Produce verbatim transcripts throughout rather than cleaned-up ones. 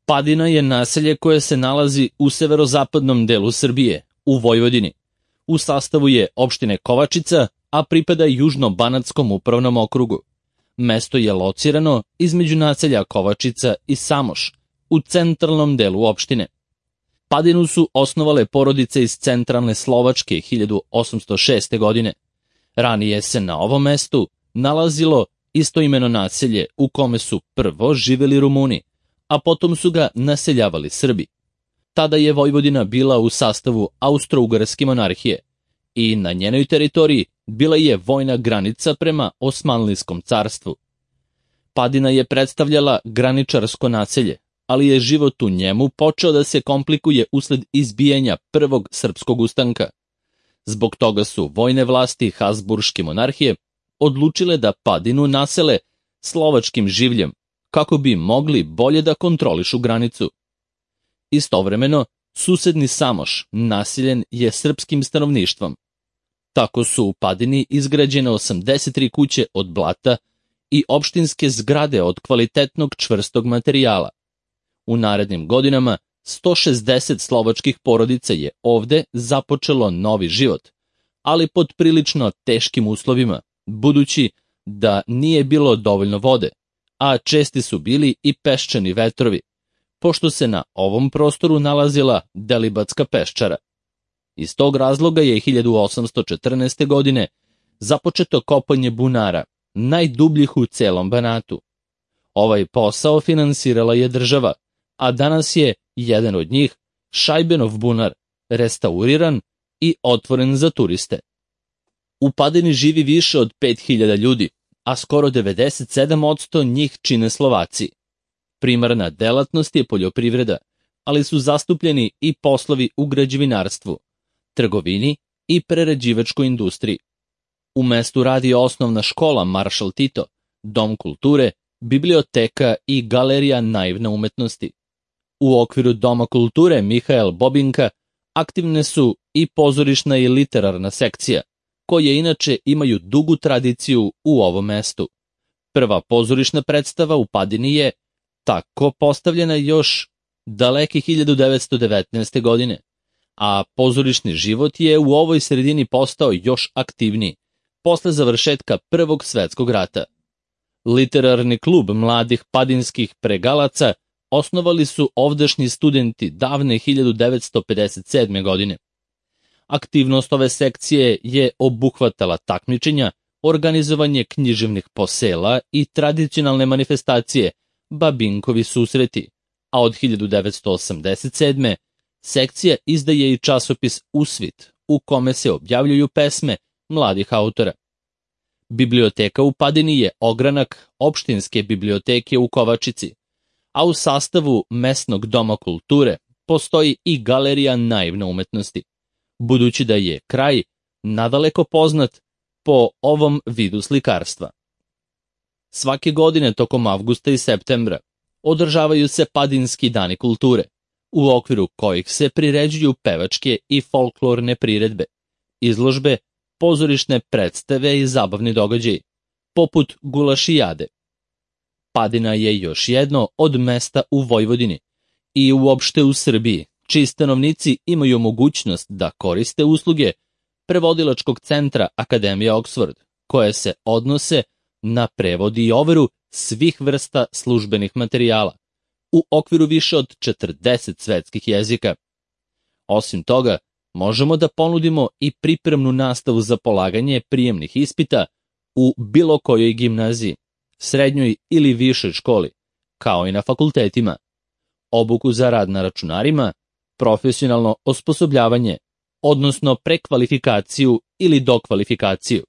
Padina je naselje koje se nalazi u severozapadnom delu Srbije, u Vojvodini. U sastavu je opštine Kovačica, a pripada Južno-Banatskom upravnom okrugu. Mesto je locirano između naselja Kovačica i Samoš, u centralnom delu opštine. Padinu su osnovale porodice iz centralne Slovačke hiljadu osamsto šeste. godine. Ranije se na ovom mestu nalazilo istoimeno naselje u kome su prvo živeli Rumuni, a potom su ga naseljavali Srbi. Tada je Vojvodina bila u sastavu Austro-Ugarske monarhije i na njenoj teritoriji bila je vojna granica prema Osmanlijskom carstvu. Padina je predstavljala graničarsko naselje, ali je život u njemu počeo da se komplikuje usled izbijanja prvog srpskog ustanka. Zbog toga su vojne vlasti Habsburške monarhije odlučile da Padinu nasele slovačkim življem, kako bi mogli bolje da kontrolišu granicu. Istovremeno, susedni Samoš naseljen je srpskim stanovništvom. Tako su u Padini izgrađene osamdeset tri kuće od blata i opštinske zgrade od kvalitetnog čvrstog materijala. U narednim godinama sto šezdeset slovačkih porodica je ovde započelo novi život, ali pod prilično teškim uslovima, budući da nije bilo dovoljno vode, a česti su bili i peščani vetrovi, pošto se na ovom prostoru nalazila Delibatska peščara. Iz tog razloga je hiljadu osamsto četrnaeste. godine započeto kopanje bunara, najdubljih u celom Banatu. Ovaj posao finansirala je država, a danas je jedan od njih, Šajbenov bunar, restauriran i otvoren za turiste. U Padini živi više od pet hiljada ljudi, a skoro devedeset sedam posto njih čine Slovaci. Primarna delatnost je poljoprivreda, ali su zastupljeni i poslovi u građevinarstvu, trgovini i prerađivačkoj industriji. U mestu radi osnovna škola Maršal Tito, dom kulture, biblioteka i galerija naivne umetnosti. U okviru Doma kulture Mihael Bobinka aktivne su i pozorišna i literarna sekcija, koje inače imaju dugu tradiciju u ovom mestu. Prva pozorišna predstava u Padini je tako postavljena još daleke hiljadu devetsto devetnaeste. godine, a pozorišni život je u ovoj sredini postao još aktivniji posle završetka Prvog svetskog rata. Literarni klub mladih padinskih pregalaca osnovali su ovdašnji studenti davne hiljadu devetsto pedeset sedme. godine. Aktivnost ove sekcije je obuhvatala takmičenja, organizovanje književnih posela i tradicionalne manifestacije, Babinkovi susreti, a od hiljadu devetsto osamdeset sedme. sekcija izdaje i časopis Usvit, u kome se objavljuju pesme mladih autora. Biblioteka u Padini je ogranak opštinske biblioteke u Kovačici, a u sastavu mesnog doma kulture postoji i galerija naivne umetnosti, budući da je kraj nadaleko poznat po ovom vidu slikarstva. Svake godine tokom avgusta i septembra održavaju se Padinski dani kulture, u okviru kojih se priređuju pevačke i folklorne priredbe, izložbe, pozorišne predstave i zabavni događaji, poput gulašijade. Padina je još jedno od mesta u Vojvodini i uopšte u Srbiji, čiji stanovnici imaju mogućnost da koriste usluge prevodilačkog centra Akademija Oxford, koje se odnose na prevod i overu svih vrsta službenih materijala, u okviru više od četrdeset svetskih jezika. Osim toga, možemo da ponudimo i pripremnu nastavu za polaganje prijemnih ispita u bilo kojoj gimnaziji, srednjoj ili višoj školi, kao i na fakultetima, obuku za rad na računarima, profesionalno osposobljavanje, odnosno prekvalifikaciju ili dokvalifikaciju,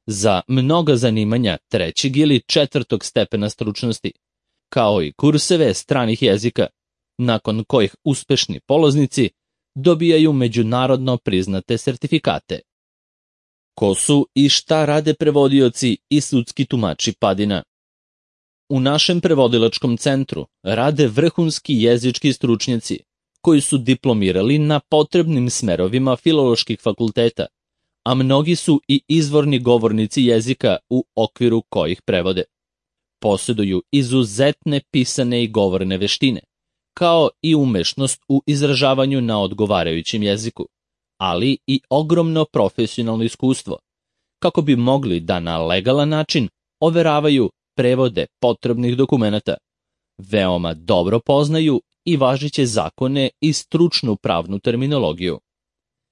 za mnoga zanimanja trećeg ili četvrtog stepena stručnosti, kao i kurseve stranih jezika, nakon kojih uspešni polaznici dobijaju međunarodno priznate sertifikate. Ko su i šta rade prevodioci i sudski tumači Padina? U našem prevodilačkom centru rade vrhunski jezički stručnjaci, koji su diplomirali na potrebnim smerovima filoloških fakulteta, a mnogi su i izvorni govornici jezika u okviru kojih prevode. Posjeduju izuzetne pisane i govorne veštine, kao i umešnost u izražavanju na odgovarajućem jeziku, ali i ogromno profesionalno iskustvo, kako bi mogli da na legalan način overavaju prevode potrebnih dokumenata, veoma dobro poznaju i važeće zakone i stručnu pravnu terminologiju.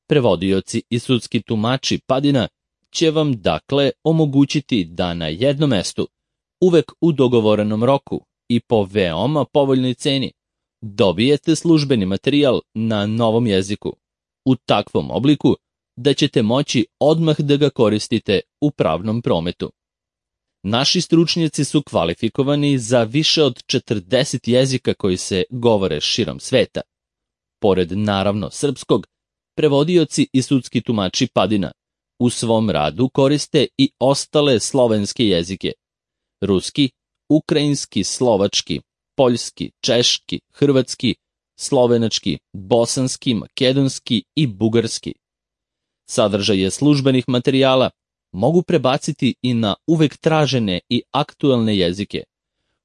Prevodioci i sudski tumači Padina će vam dakle omogućiti da na jednom mestu, uvek u dogovorenom roku i po veoma povoljnoj ceni, dobijete službeni materijal na novom jeziku, u takvom obliku da ćete moći odmah da ga koristite u pravnom prometu. Naši stručnjaci su kvalifikovani za više od četrdeset jezika koji se govore širom sveta. Pored naravno srpskog, prevodioci i sudski tumači Padina u svom radu koriste i ostale slovenske jezike: ruski, ukrajinski, slovački, poljski, češki, hrvatski, slovenački, bosanski, makedonski i bugarski. Sadržaje službenih materijala mogu prebaciti i na uvek tražene i aktuelne jezike,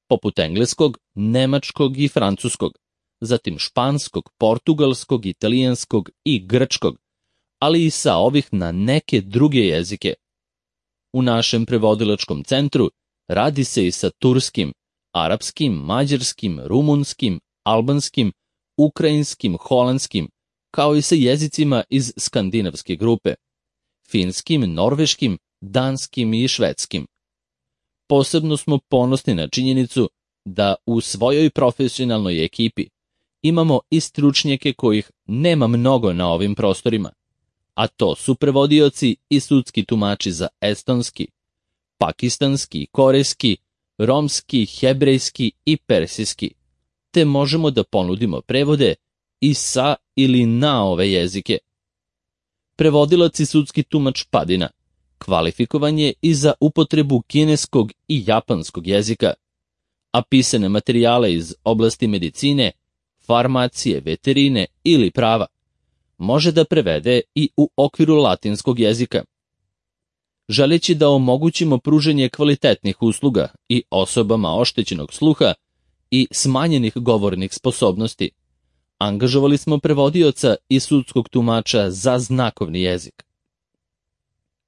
poput engleskog, nemačkog i francuskog, zatim španskog, portugalskog, italijanskog i grčkog, ali i sa ovih na neke druge jezike. U našem prevodilačkom centru radi se i sa turskim, arapskim, mađarskim, rumunskim, albanskim, ukrajinskim, holandskim, kao i sa jezicima iz skandinavske grupe, finskim, norveškim, danskim i švedskim. Posebno smo ponosni na činjenicu da u svojoj profesionalnoj ekipi imamo i stručnjake kojih nema mnogo na ovim prostorima, a to su prevodioci i sudski tumači za estonski, pakistanski, korejski, romski, hebrejski i persijski, te možemo da ponudimo prevode i sa ili na ove jezike. Prevodilac i sudski tumač Padina kvalifikovan je i za upotrebu kineskog i japanskog jezika, a pisane materijale iz oblasti medicine, farmacije, veterine ili prava može da prevede i u okviru latinskog jezika. Želeći da omogućimo pruženje kvalitetnih usluga i osobama oštećenog sluha i smanjenih govornih sposobnosti, angažovali smo prevodioca i sudskog tumača za znakovni jezik.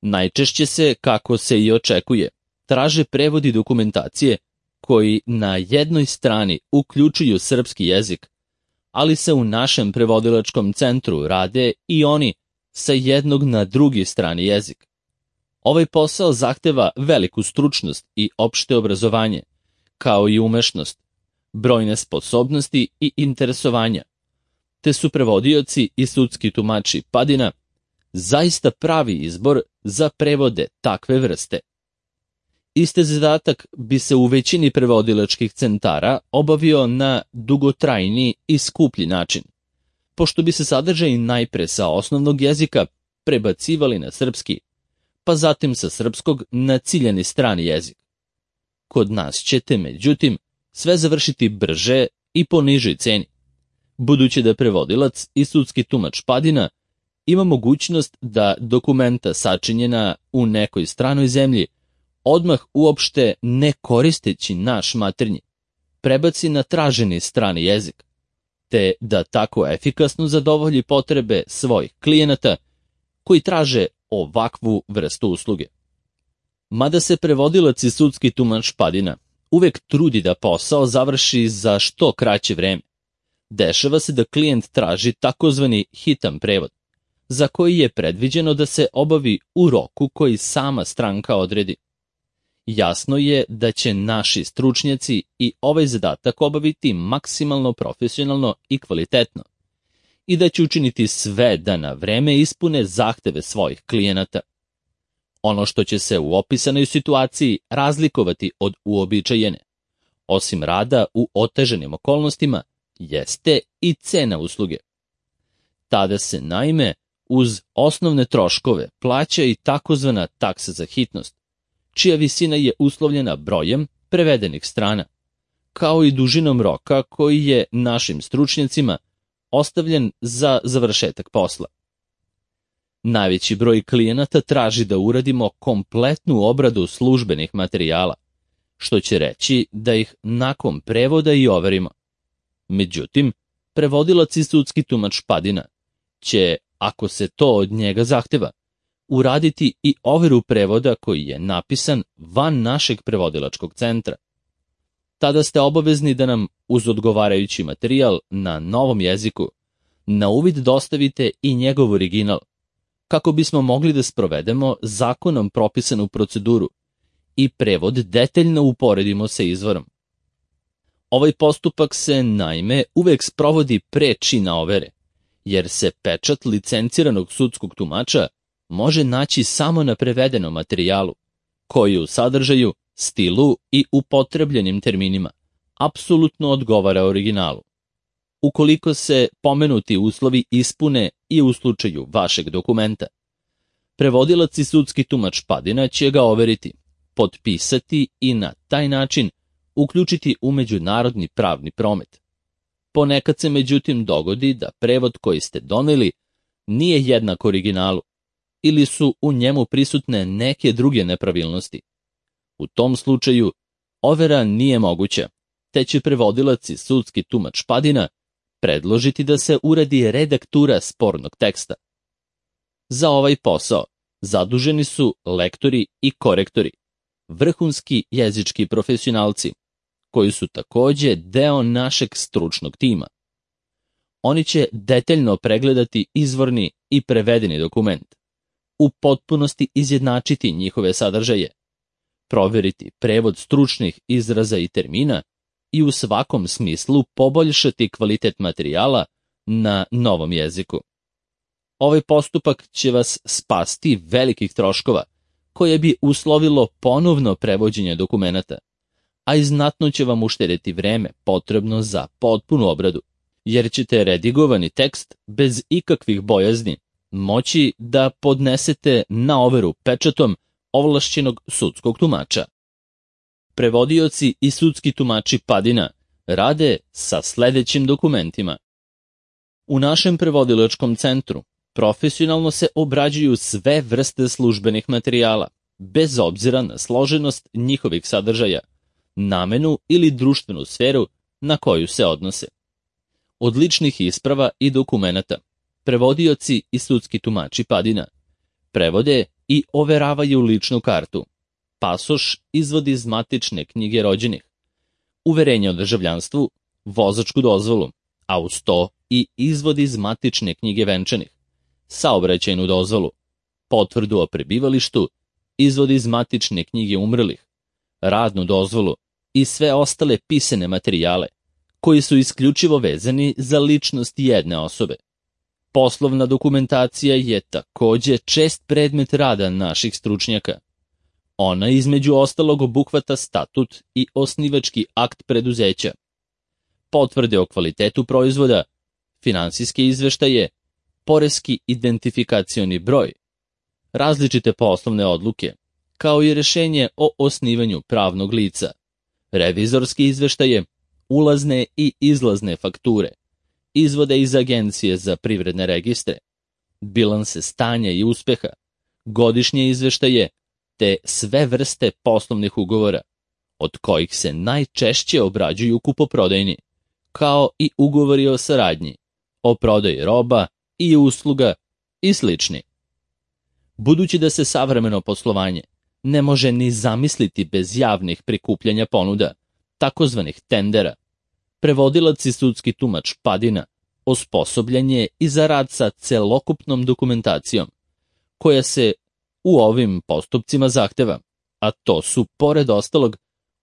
Najčešće se, kako se i očekuje, traže prevodi dokumentacije koji na jednoj strani uključuju srpski jezik, ali se u našem prevodilačkom centru rade i oni sa jednog na drugi strani jezik. Ovaj posao zahteva veliku stručnost i opšte obrazovanje, kao i umešnost, brojne sposobnosti i interesovanja, te su prevodioci i sudski tumači Padina zaista pravi izbor za prevode takve vrste. Isti zadatak bi se u većini prevodilačkih centara obavio na dugotrajniji i skuplji način, pošto bi se sadržaji najpre sa osnovnog jezika prebacivali na srpski, pa zatim sa srpskog na ciljani strani jezik. Kod nas ćete, međutim, sve završiti brže i po nižoj ceni, budući da prevodilac i sudski tumač Padina ima mogućnost da dokumenta sačinjena u nekoj stranoj zemlji odmah uopšte ne koristeći naš maternji, prebaci na traženi strani jezik, te da tako efikasno zadovolji potrebe svojih klijenata koji traže ovakvu vrstu usluge. Mada se prevodilac i sudski tumač Padina uvek trudi da posao završi za što kraće vreme, dešava se da klijent traži takozvani hitan prevod, za koji je predviđeno da se obavi u roku koji sama stranka odredi. Jasno je da će naši stručnjaci i ovaj zadatak obaviti maksimalno profesionalno i kvalitetno i da će učiniti sve da na vreme ispune zahteve svojih klijenata. Ono što će se u opisanoj situaciji razlikovati od uobičajene, osim rada u otežanim okolnostima, jeste i cena usluge. Tada se naime uz osnovne troškove plaća i takozvana taksa za hitnost, čija visina je uslovljena brojem prevedenih strana, kao i dužinom roka koji je našim stručnjacima ostavljen za završetak posla. Najveći broj klijenata traži da uradimo kompletnu obradu službenih materijala, što će reći da ih nakon prevoda i overimo. Međutim, prevodilac i sudski tumač Padina će, ako se to od njega zahteva, uraditi i overu prevoda koji je napisan van našeg prevodilačkog centra. Tada ste obavezni da nam uz odgovarajući materijal na novom jeziku na uvid dostavite i njegov original, kako bismo mogli da sprovedemo zakonom propisanu proceduru i prevod detaljno uporedimo sa izvorom. Ovaj postupak se, naime, uvek sprovodi pre čina overe, jer se pečat licenciranog sudskog tumača može naći samo na prevedenom materijalu, koji u sadržaju, stilu i upotrebljenim terminima apsolutno odgovara originalu. Ukoliko se pomenuti uslovi ispune i u slučaju vašeg dokumenta, prevodilac i sudski tumač Padina će ga overiti, potpisati i na taj način uključiti u međunarodni pravni promet. Ponekad se međutim dogodi da prevod koji ste doneli nije jednak originalu ili su u njemu prisutne neke druge nepravilnosti. U tom slučaju overa nije moguća, te će prevodilac i sudski tumač Padina predložiti da se uradi redaktura spornog teksta. Za ovaj posao zaduženi su lektori i korektori, vrhunski jezički profesionalci, koji su takođe deo našeg stručnog tima. Oni će detaljno pregledati izvorni i prevedeni dokument, u potpunosti izjednačiti njihove sadržaje, proveriti prevod stručnih izraza i termina i u svakom smislu poboljšati kvalitet materijala na novom jeziku. Ovaj postupak će vas spasti velikih troškova, koje bi uslovilo ponovno prevođenje dokumenata, a i znatno će vam uštedeti vreme potrebno za potpunu obradu, jer ćete redigovani tekst bez ikakvih bojazni moći da podnesete na overu pečatom ovlašćenog sudskog tumača. Prevodioci i sudski tumači Padina rade sa sledećim dokumentima. U našem prevodilačkom centru profesionalno se obrađuju sve vrste službenih materijala, bez obzira na složenost njihovih sadržaja, namenu ili društvenu sferu na koju se odnose. Od ličnih isprava i dokumenata, prevodioci i sudski tumači Padina prevode i overavaju ličnu kartu, pasoš, izvod iz matične knjige rođenih, uverenje o državljanstvu, vozačku dozvolu, a uz to i izvod iz matične knjige venčanih, saobraćajnu dozvolu, potvrdu o prebivalištu, izvod iz matične knjige umrlih, radnu dozvolu i sve ostale pisane materijale, koji su isključivo vezani za ličnost jedne osobe. Poslovna dokumentacija je takođe čest predmet rada naših stručnjaka. Ona između ostalog obuhvata statut i osnivački akt preduzeća, potvrde o kvalitetu proizvoda, finansijske izveštaje, poreski identifikacioni broj, različite poslovne odluke, kao i rešenje o osnivanju pravnog lica, revizorske izveštaje, ulazne i izlazne fakture, izvode iz Agencije za privredne registre, bilanse stanja i uspeha, godišnje izveštaje, te sve vrste poslovnih ugovora, od kojih se najčešće obrađuju kupoprodajni, kao i ugovori o saradnji, o prodaji roba i usluga i slični. Budući da se savremeno poslovanje ne može ni zamisliti bez javnih prikupljanja ponuda, takozvanih tendera, prevodilac i sudski tumač Padina osposobljen je i za rad sa celokupnom dokumentacijom, koja se u ovim postupcima zahteva, a to su, pored ostalog,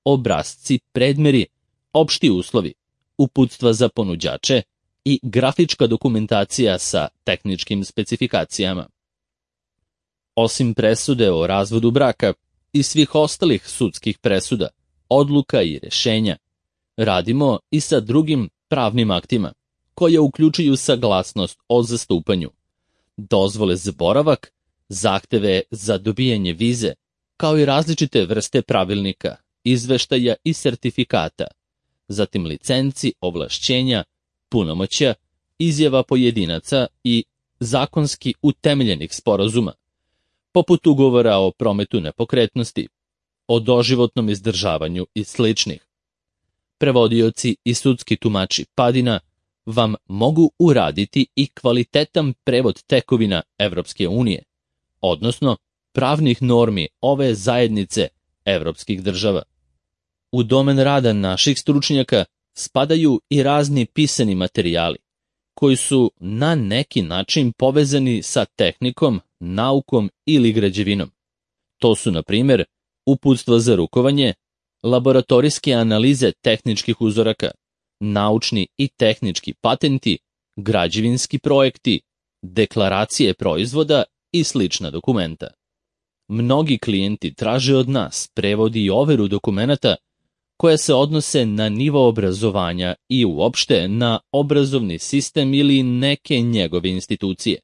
obrasci, predmeri, opšti uslovi, uputstva za ponuđače i grafička dokumentacija sa tehničkim specifikacijama. Osim presude o razvodu braka i svih ostalih sudskih presuda, odluka i rešenja, radimo i sa drugim pravnim aktima, koje uključuju saglasnost o zastupanju, dozvole za boravak, zahteve za dobijanje vize, kao i različite vrste pravilnika, izveštaja i sertifikata, zatim licenci, ovlašćenja, punomoćja, izjava pojedinaca i zakonski utemeljenih sporazuma, poput ugovora o prometu nepokretnosti, o doživotnom izdržavanju i sličnih. prevodioci i sudski tumači Padina vam mogu uraditi i kvalitetan prevod tekovina Evropske unije, odnosno pravnih normi ove zajednice evropskih država. U domen rada naših stručnjaka spadaju i razni pisani materijali, koji su na neki način povezani sa tehnikom, naukom ili građevinom. To su, na primjer, uputstva za rukovanje, laboratorijske analize tehničkih uzoraka, naučni i tehnički patenti, građevinski projekti, deklaracije proizvoda i slična dokumenta. Mnogi klijenti traže od nas prevod i overu dokumenata koje se odnose na nivo obrazovanja i uopšte na obrazovni sistem ili neke njegove institucije.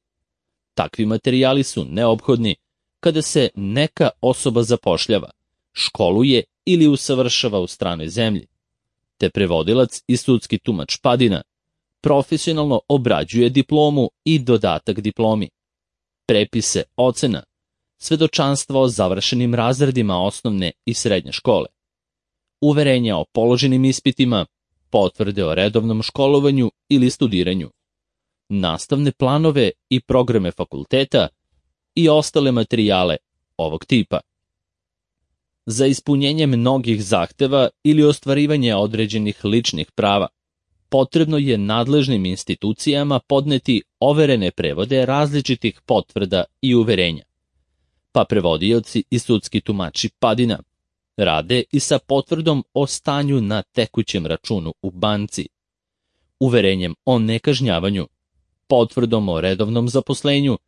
Takvi materijali su neophodni kada se neka osoba zapošljava, školuje ili usavršava u stranoj zemlji, te prevodilac i sudski tumač Padina profesionalno obrađuje diplomu i dodatak diplomi, prepise ocena, svedočanstva o završenim razredima osnovne i srednje škole, uverenja o položenim ispitima, potvrde o redovnom školovanju ili studiranju, nastavne planove i programe fakulteta i ostale materijale ovog tipa. Za ispunjenje mnogih zahteva ili ostvarivanje određenih ličnih prava, potrebno je nadležnim institucijama podneti overene prevode različitih potvrda i uverenja, pa prevodioci i sudski tumači Padina rade i sa potvrdom o stanju na tekućem računu u banci, uverenjem o nekažnjavanju, potvrdom o redovnom zaposlenju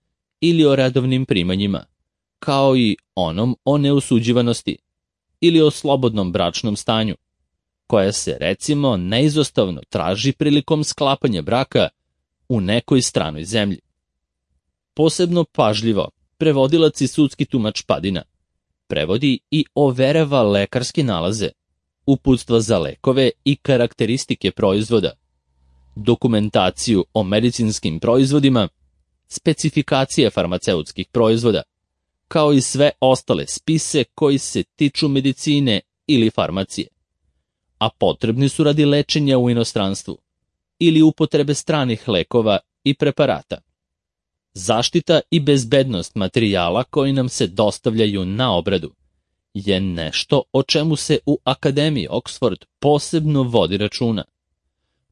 ili o redovnim primanjima, kao i onom o neosuđivanosti ili o slobodnom bračnom stanju, koja se recimo neizostavno traži prilikom sklapanja braka u nekoj stranoj zemlji. Posebno pažljivo prevodilac i sudski tumač Padina prevodi i overava lekarske nalaze, uputstva za lekove i karakteristike proizvoda, dokumentaciju o medicinskim proizvodima, specifikacije farmaceutskih proizvoda, kao i sve ostale spise koji se tiču medicine ili farmacije, a potrebni su radi lečenja u inostranstvu ili upotrebe stranih lekova i preparata. Zaštita i bezbednost materijala koji nam se dostavljaju na obradu je nešto o čemu se u Akademiji Oxford posebno vodi računa.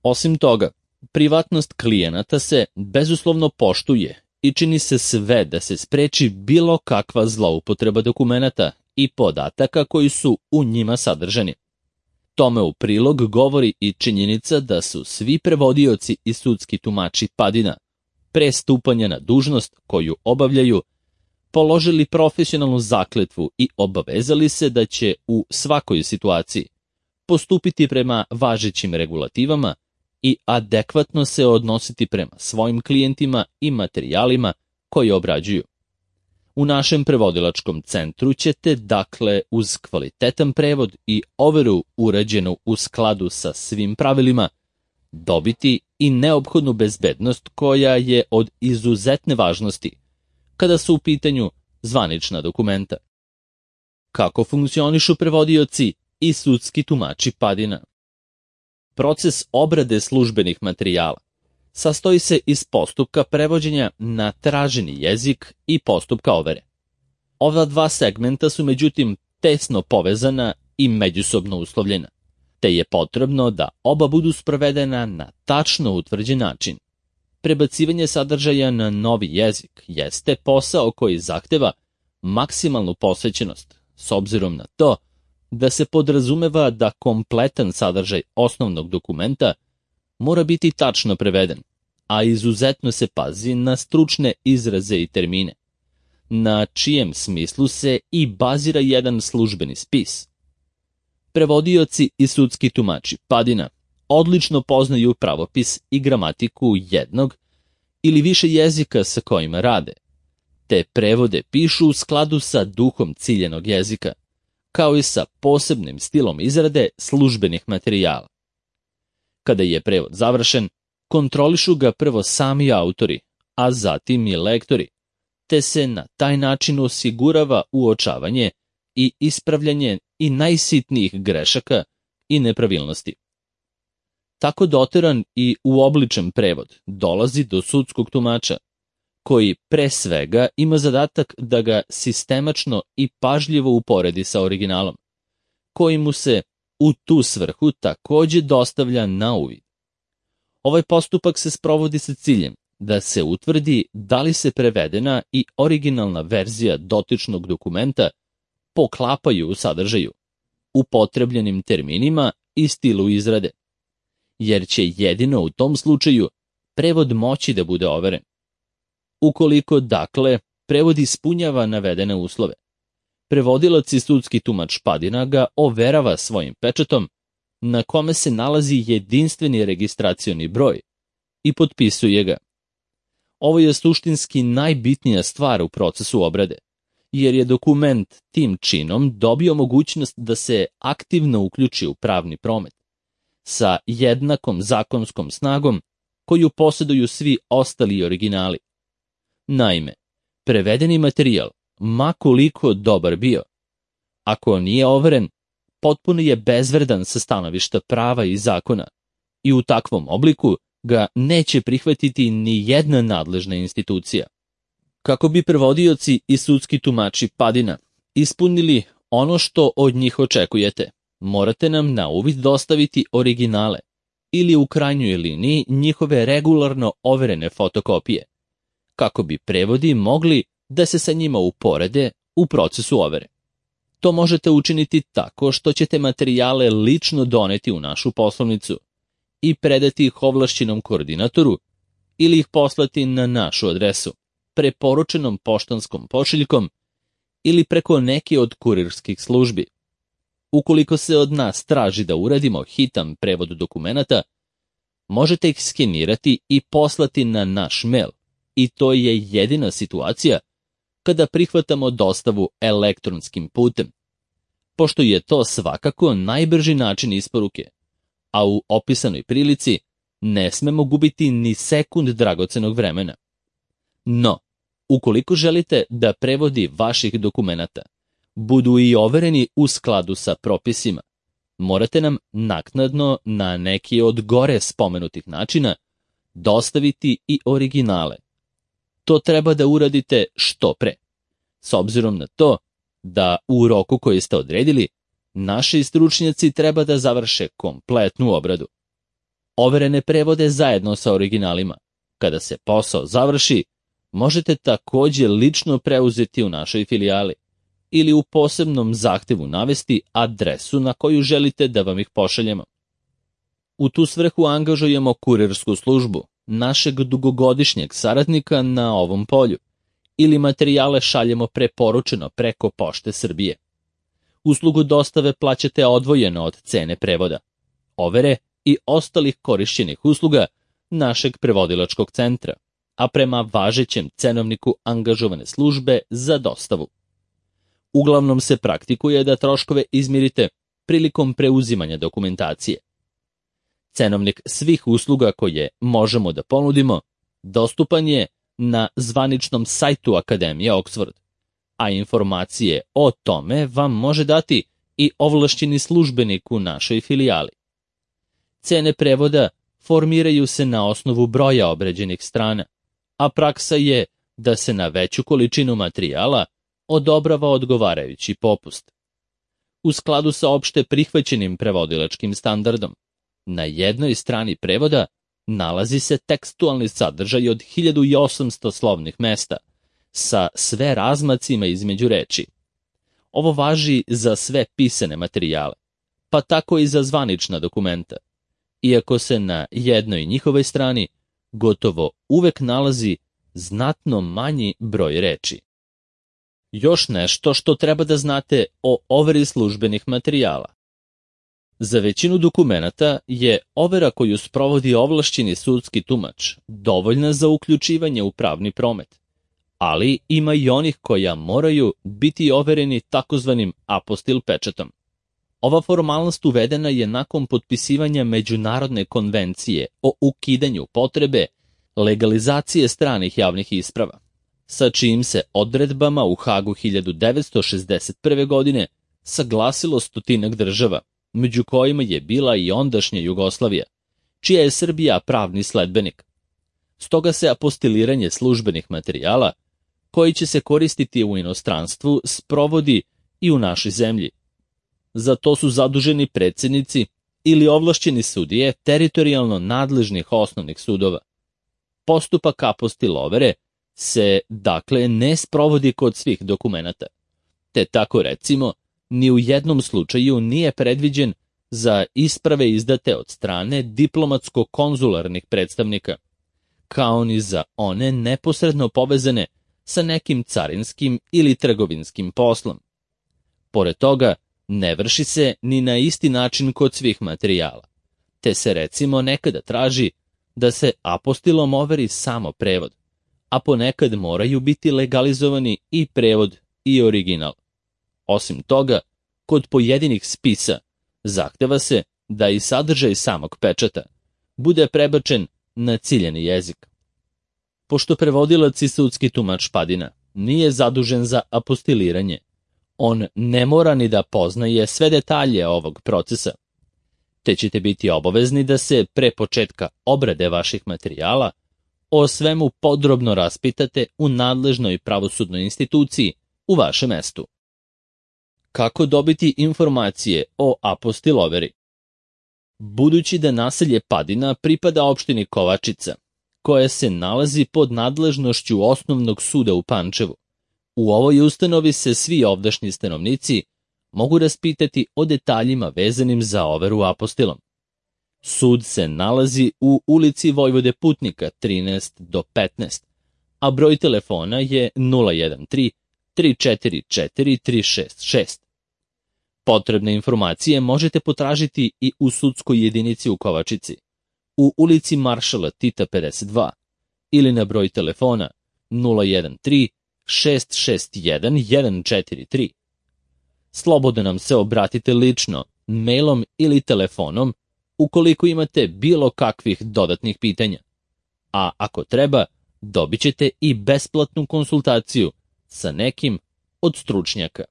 Osim toga, privatnost klijenata se bezuslovno poštuje i čini se sve da se spreči bilo kakva zloupotreba dokumenata i podataka koji su u njima sadržani. Tome u prilog govori i činjenica da su svi prevodioci i sudski tumači Padina pre stupanja na dužnost koju obavljaju položili profesionalnu zakletvu i obavezali se da će u svakoj situaciji postupiti prema važećim regulativama i adekvatno se odnositi prema svojim klijentima i materijalima koje obrađuju. U našem prevodilačkom centru ćete, dakle, uz kvalitetan prevod i overu urađenu u skladu sa svim pravilima, dobiti i neophodnu bezbednost koja je od izuzetne važnosti kada su u pitanju zvanična dokumenta. Kako funkcionišu prevodioci i sudski tumači Padina? Proces obrade službenih materijala sastoji se iz postupka prevođenja na traženi jezik i postupka overe. Ova dva segmenta su međutim tesno povezana i međusobno uslovljena, te je potrebno da oba budu sprovedena na tačno utvrđen način. Prebacivanje sadržaja na novi jezik jeste posao koji zahteva maksimalnu posvećenost, s obzirom na to da se podrazumeva da kompletan sadržaj osnovnog dokumenta mora biti tačno preveden, a izuzetno se pazi na stručne izraze i termine, na čijem smislu se i bazira jedan službeni spis. Prevodioci i sudski tumači Padina odlično poznaju pravopis i gramatiku jednog ili više jezika sa kojima rade, te prevode pišu u skladu sa duhom ciljenog jezika, kao i sa posebnim stilom izrade službenih materijala. Kada je prevod završen, kontrolišu ga prvo sami autori, a zatim i lektori, te se na taj način osigurava uočavanje i ispravljanje i najsitnijih grešaka i nepravilnosti, Tako doteran i uobličen prevod dolazi do sudskog tumača, koji pre svega ima zadatak da ga sistemačno i pažljivo uporedi sa originalom, koji mu se u tu svrhu takođe dostavlja na uvid. Ovaj postupak se sprovodi sa ciljem da se utvrdi da li se prevedena i originalna verzija dotičnog dokumenta poklapaju u sadržaju, upotrebljenim terminima i stilu izrade, jer će jedino u tom slučaju prevod moći da bude overen. Ukoliko, dakle, prevod ispunjava navedene uslove, prevodilac i sudski tumač Padina ga overava svojim pečatom, na kome se nalazi jedinstveni registracioni broj, i potpisuje ga. Ovo je suštinski najbitnija stvar u procesu obrade, jer je dokument tim činom dobio mogućnost da se aktivno uključi u pravni promet, sa jednakom zakonskom snagom koju posjeduju svi ostali originali. Naime, prevedeni materijal, ma koliko dobar bio, ako nije overen, potpuno je bezvredan sa stanovišta prava i zakona i u takvom obliku ga neće prihvatiti ni jedna nadležna institucija. Kako bi prevodioci i sudski tumači Padina ispunili ono što od njih očekujete, morate nam na uvid dostaviti originale ili u krajnjoj liniji njihove regularno overene fotokopije, kako bi prevodi mogli da se sa njima uporede u procesu overe. To možete učiniti tako što ćete materijale lično doneti u našu poslovnicu i predati ih ovlašćenom koordinatoru ili ih poslati na našu adresu, preporučenom poštanskom pošiljkom ili preko neke od kurirskih službi. Ukoliko se od nas traži da uradimo hitan prevod dokumenata, možete ih skenirati i poslati na naš mail, i to je jedina situacija kada prihvatamo dostavu elektronskim putem, pošto je to svakako najbrži način isporuke, a u opisanoj prilici ne smemo gubiti ni sekund dragocenog vremena. No, ukoliko želite da prevodi vaših dokumenata budu i overeni u skladu sa propisima, morate nam naknadno na neki od gore spomenutih načina dostaviti i originale. To treba da uradite što pre, s obzirom na to da u roku koji ste odredili, naši stručnjaci treba da završe kompletnu obradu. Overene prevode zajedno sa originalima, kada se posao završi, možete takođe lično preuzeti u našoj filijali ili u posebnom zahtevu navesti adresu na koju želite da vam ih pošaljemo. U tu svrhu angažujemo kurirsku službu, našeg dugogodišnjeg saradnika na ovom polju, ili materijale šaljemo preporučeno preko Pošte Srbije. Uslugu dostave plaćate odvojeno od cene prevoda, overe i ostalih korišćenih usluga našeg prevodilačkog centra, a prema važećem cenovniku angažovane službe za dostavu. Uglavnom se praktikuje da troškove izmirite prilikom preuzimanja dokumentacije. Cenovnik svih usluga koje možemo da ponudimo dostupan je na zvaničnom sajtu Akademije Oxford, a informacije o tome vam može dati i ovlašćeni službenik u našoj filijali. Cene prevoda formiraju se na osnovu broja obrađenih strana, a praksa je da se na veću količinu materijala odobrava odgovarajući popust. U skladu sa opšte prihvaćenim prevodilačkim standardom, na jednoj strani prevoda nalazi se tekstualni sadržaj od hiljadu osamsto slovnih mesta, sa sve razmacima između reči. Ovo važi za sve pisane materijale, pa tako i za zvanična dokumenta, iako se na jednoj njihovoj strani gotovo uvek nalazi znatno manji broj reči. Još nešto što treba da znate o overi službenih materijala. Za većinu dokumenata je overa koju sprovodi ovlašćeni sudski tumač dovoljna za uključivanje u pravni promet, ali ima i onih koja moraju biti overeni takozvanim apostil pečatom. Ova formalnost uvedena je nakon potpisivanja Međunarodne konvencije o ukidanju potrebe legalizacije stranih javnih isprava, sa čijim se odredbama u Hagu hiljadu devetsto šezdeset prve. godine saglasilo stotinak država, među kojima je bila i ondašnja Jugoslavija, čija je Srbija pravni sledbenik. Stoga se apostiliranje službenih materijala, koji će se koristiti u inostranstvu, sprovodi i u našoj zemlji. Za to su zaduženi predsjednici ili ovlašćeni sudije teritorijalno nadležnih osnovnih sudova. Postupak apostilovere se, dakle, ne sprovodi kod svih dokumenata, te tako recimo, ni u jednom slučaju nije predviđen za isprave izdate od strane diplomatsko-konzularnih predstavnika, kao ni za one neposredno povezane sa nekim carinskim ili trgovinskim poslom. Pored toga, ne vrši se ni na isti način kod svih materijala, te se recimo nekada traži da se apostilom overi samo prevod, a ponekad moraju biti legalizovani i prevod i original. Osim toga, kod pojedinih spisa zahteva se da i sadržaj samog pečata bude prebačen na ciljani jezik. Pošto prevodilac i sudski tumač Padina nije zadužen za apostiliranje, on ne mora ni da poznaje sve detalje ovog procesa, te ćete biti obavezni da se pre početka obrade vaših materijala o svemu podrobno raspitate u nadležnoj pravosudnoj instituciji u vašem mestu. Kako dobiti informacije o apostiloveri? Budući da naselje Padina pripada opštini Kovačica, koja se nalazi pod nadležnošću Osnovnog suda u Pančevu, u ovoj ustanovi se svi ovdašnji stanovnici mogu raspitati o detaljima vezanim za overu apostilom. Sud se nalazi u ulici Vojvode Putnika trinaest do petnaest, a broj telefona je nula jedan tri tri četiri četiri tri šest šest. Potrebne informacije možete potražiti i u sudskoj jedinici u Kovačici, u ulici Maršala Tita pedeset dva ili na broj telefona nula jedan tri šest šest jedan jedan četiri tri. Slobodno nam se obratite lično, mailom ili telefonom ukoliko imate bilo kakvih dodatnih pitanja. A ako treba, dobit ćete i besplatnu konsultaciju sa nekim od stručnjaka.